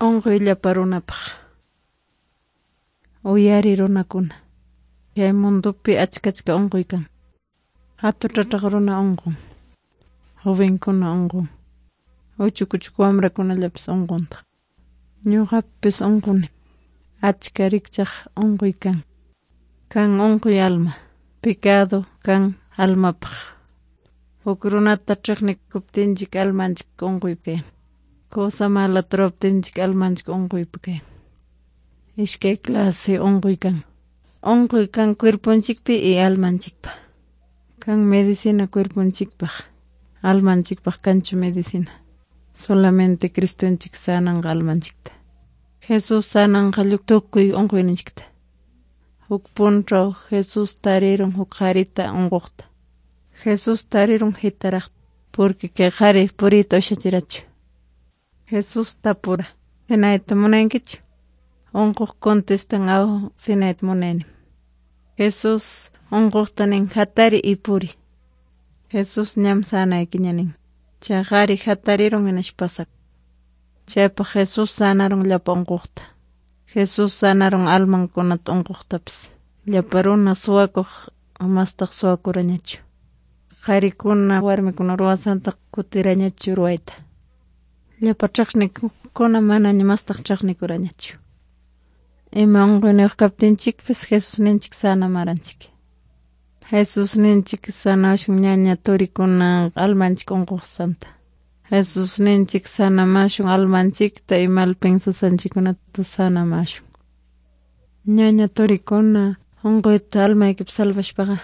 Unquy llapa runapaq. Uyari runakuna. Kay mundopi achka unquy kan. Hatuchachaq runa unqun. Jovenkuna unqun. Uchuk uchuk wamrakunallapas unquntaq. Ñuqapis unquni. Achka rikchaq unquy kan. Kan unquy alma. Pecado kan almapaq. Huk runata chiqnikuptinchik almanchik unquypi kayan. Cosa malata ruwaptinchik almanchik unquypi kayan. Iskay clase unquy kan. Unquy kan cuerponchikpi y almanchikpa. Kan medicina cuerponchikpaq. Almanchikpaq kanchu medicina. Solamente Cristonchik sananqa almanchikta. Jesús sananqa tukuy unquyninchikta. Huk punchaw Jesús tarirun huk qharita unquqta. Jesús tarirun hitaraqta porque kay qhari puriyta ushachirachu. Jesús tapura, ¿Sinayta munankichu? Unquq contestan aw sinayta munani. Jesús unquqta nin hatari y puri. Jesús ñam sanaykiña nin. Chay qhari hatarirun hinaspa pasak. Chaypaq Jesús sanarun llapa unquqta. Jesús sanarun almankunata unquqtapis. Llapa runa suwakuq mastaq suwakurañachu. Qharikuna warmikuna ruwasanta kutirañachu ruwayta. Llapa chiqnikuqkuna manaña mastaq chiqnikurañachu. Ima unquyniyuq kaptinchikpis Jesusninchik sanamaranchik. Jesusninchik sanawashun ñaña turikuna almanchik unquqsanta. Jesusninchik sanamashun almanchikta y mal pensasqanchikkunata sanamashun. Ñaña turikuna unquyta almaykipi salvashpaqa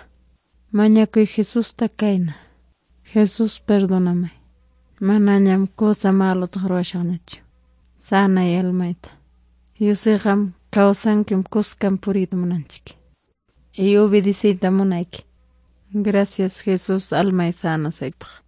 mañakuy Jesusta kayna. Jesús perdóname. Manañam cosa malota ruwashaqñachu. Sanay almayta. Yusayqam kawsankim kuskan puriyta munanchik. Y obedeciyta munayki. Gracias Jesús almay sanasaypaq.